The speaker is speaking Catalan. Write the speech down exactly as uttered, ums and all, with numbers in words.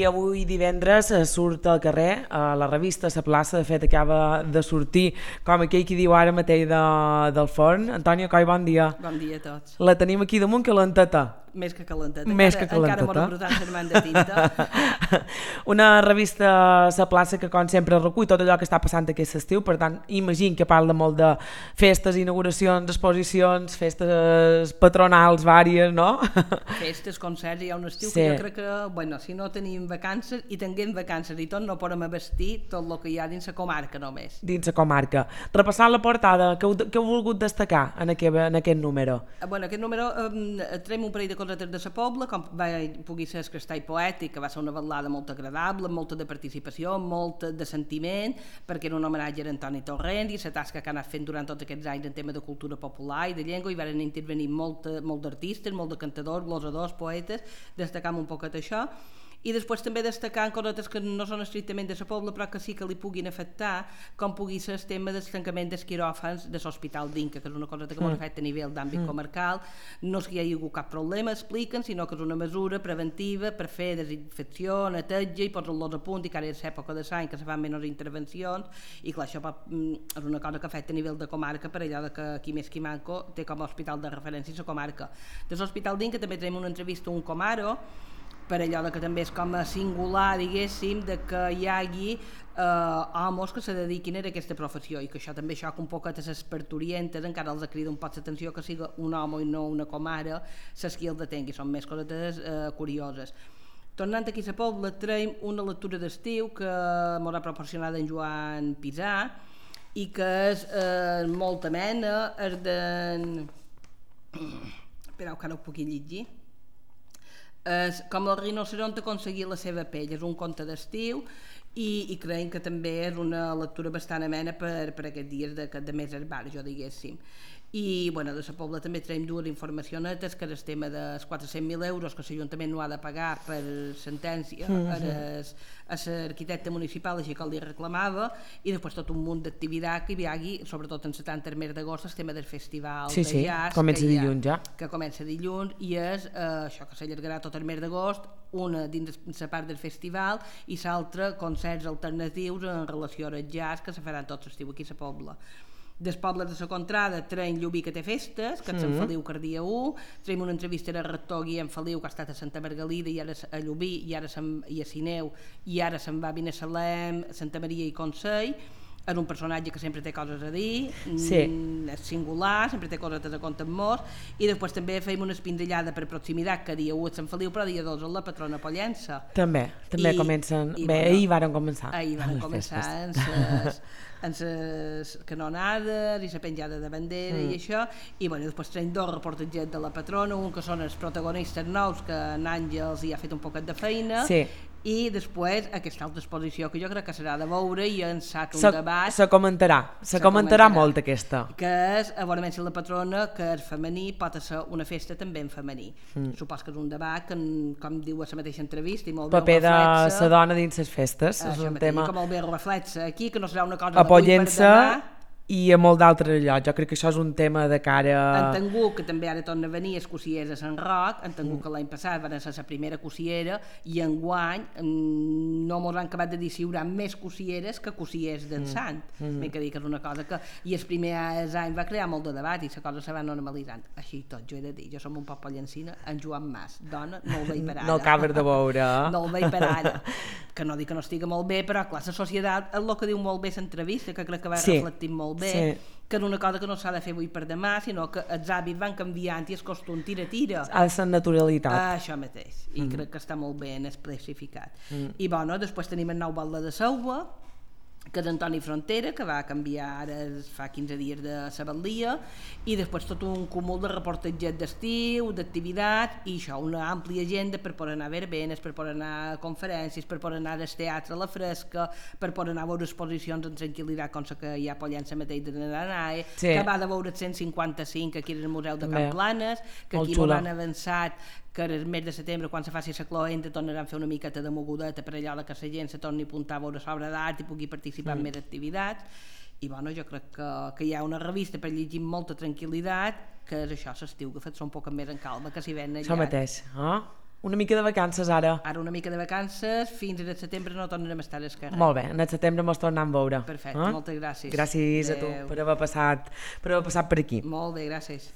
avui divendres surt al carrer, a la revista La Plaça, de fet acaba de sortir com aquell qui diu ara mateix de, del forn. Antònia Coll, bon dia. Bon dia a tots. La tenim aquí damunt calenteta. Més que calenteta. Més encara, que calenteta. Encara m'ho rebrotant sermant de tinta. Una revista La Plaça que, com sempre, recull tot allò que està passant aquest estiu, per tant, imagino que parla molt de festes, inauguracions, exposicions, festes patronals vàries, no? Festes, concerts, hi ha un estiu Sí. que jo crec que, bueno, si no tenim vacances i tinguem vacances i tot, no podem abastir tot el que hi ha dins la comarca només. Dins la comarca. Repassant la portada, què heu, què heu volgut destacar en aquest, en aquest número? Bueno, aquest número eh, traiem un parell de cosetes de la Pobla, com va, pugui ser el Crestall Poètic, que va ser una balada molt agradable, amb molta de participació, molt de sentiment, perquè era un homenatge a Antoni Torrent i la tasca que ha anat fent durant tots aquests anys en tema de cultura popular i de llengua, i van intervenir molt, molt d'artistes, molt de cantadors, glosadors, poetes, destacam un poquet això. I després també destacar coses que no són estrictament de la Pobla, però que sí que li puguin afectar, com pugui ser el tema del tancament dels quiròfans de l'Hospital d'Inca, que és una cosa que mm. afecta a nivell d'àmbit mm. comarcal. No és que hi hagi hagut cap problema, expliquen, sinó que és una mesura preventiva per fer desinfecció, neteja i posar-los a punt, i que ara és època de l'any que se fan menys intervencions, i clar, això és una cosa que afecta a nivell de comarca, per allò que qui més qui manco té com a hospital de referència la comarca. De l'Hospital d'Inca també tenim una entrevista a un comaro, per allò que també és com a singular, diguéssim, de que hi hagi eh, homes que se dediquin a aquesta professió, i que això també xoca un poquet a les parturientes, encara els crida un poc l'atenció que sigui un home i no una comare, ses qui el detengui, són més coses eh, curioses. Tornant aquí a la Pobla, traiem una lectura d'estiu que m'ho ha proporcionat en Joan Pisà i que és eh, molt amena, és de... Espereu que ara ho pugui llegir. És com el rinoceront aconseguir la seva pell, és un conte d'estiu i, i creiem que també és una lectura bastant amena per, per aquests dies de, de més herbar, jo diguéssim. I bueno, de la Pobla també traiem dues informacions, que és el tema dels quatre-cents mil euros que l'Ajuntament no ha de pagar per sentència mm-hmm. a l'arquitecte municipal, així que el li reclamava, i després tot un munt d'activitat que hi hagi, sobretot en setanta mes d'agost, el tema del festival sí, de sí, jazz, comença que, dilluns, ja. que comença dilluns, i és eh, això que s'allargarà tot el mes d'agost, una dins la part del festival i l'altra concerts alternatius en relació al jazz que se faran tot l'estiu aquí a la Pobla. Des pobles de la Contrada traiem Llubí, que té festes, que és Sant Feliu, que el dia u, traiem una entrevista al rector Guillem Feliu, que ha estat a Santa Margalida i ara a Llubí i ara i a Sineu, i ara se'n va a Binissalem, Santa Maria i Consell. És un personatge que sempre té coses a dir, sí. és singular, sempre té coses a compte amb molts, i després també feim una espindellada per proximitat, que dia u a Sant Feliu, però dia dos a la patrona Pollença. També, també I, comencen, i, bé, bueno, ahir varen començar. Ahir varen començar en ses, en ses canonades i la penjada de bandera mm. i això, i bueno, després traiem dos reportatges de la patrona, un que són els protagonistes nous, que en Àngels hi ha fet un poquet de feina, sí. i després aquesta altra exposició que jo crec que serà de veure i ençat un se, debat se comentarà, se, se comentarà, comentarà molt aquesta, que és a veure si la patrona, que és femení, pot ser una festa també en femení. mm. Supos que és un debat que, com diu a la mateixa entrevista, i molt bé paper de la dona dins les festes, és un mateix, tema que molt bé reflexa aquí, que no serà una cosa d'avui per demà i a molt d'altres llocs. Jo crec que això és un tema de cara... En Tengú, que també ara torna a venir, és cossiers a Sant Roc, en Tengú, mm. que l'any passat van ser la primera cossiera, i enguany no mos han acabat de dir si hi haurà més cossieres que cossiers d'en mm. Sant. Mm. M'he que dir que és una cosa que... I el primer any va crear molt de debat i la cosa se va normalitzant. Així tot, jo he de dir, jo som un poc pollencina, en Joan Mas, dona, no el veig per ara. No el acabes de veure. No el veig per ara. Que no dic que no estigui molt bé, però clar, la societat, és el que diu molt bé l'entrevista, que crec que va sí. reflectir molt bé, sí. que és una cosa que no s'ha de fer avui per demà, sinó que els hàbits van canviant i el costum tira-tira. Ha de ser naturalitat. Ah, això mateix, i mm. crec que està molt ben especificat. Mm. I bueno, després tenim el nou Val de Selva, que és Antoni Frontera, que va canviar ara fa quinze dies de la batllia, i després tot un cúmul de reportatges d'estiu, d'activitats, i això, una àmplia agenda per poder anar a verbenes, per poder anar a conferències, per poder anar al teatre a la fresca, per poder anar a veure exposicions en tranquil·litat, com la que hi ha a Pollença mateix de Nanae, sí. que va de veure el cent cinquanta-cinc aquí al Museu de Can Planes, que aquí no han avançat, que el mes de setembre, quan se faci la cloenda, tornaran a fer una miqueta de mogudeta per allò que la gent se torni a apuntar a veure l'obra d'art i pugui participar mm. en més activitats. I bueno, jo crec que, que hi ha una revista per llegir amb molta tranquil·litat, que és això, l'estiu, que fet un poc més en calma, que s'hi ven allà. Això mateix, eh? Una mica de vacances ara. Ara una mica de vacances, fins al setembre no tornarem a estar al carrer. Molt bé, en el setembre mos tornem a veure. Perfecte, eh? moltes gràcies. Gràcies Adeu. a tu per haver passat per haver passat per aquí. Molt bé, gràcies.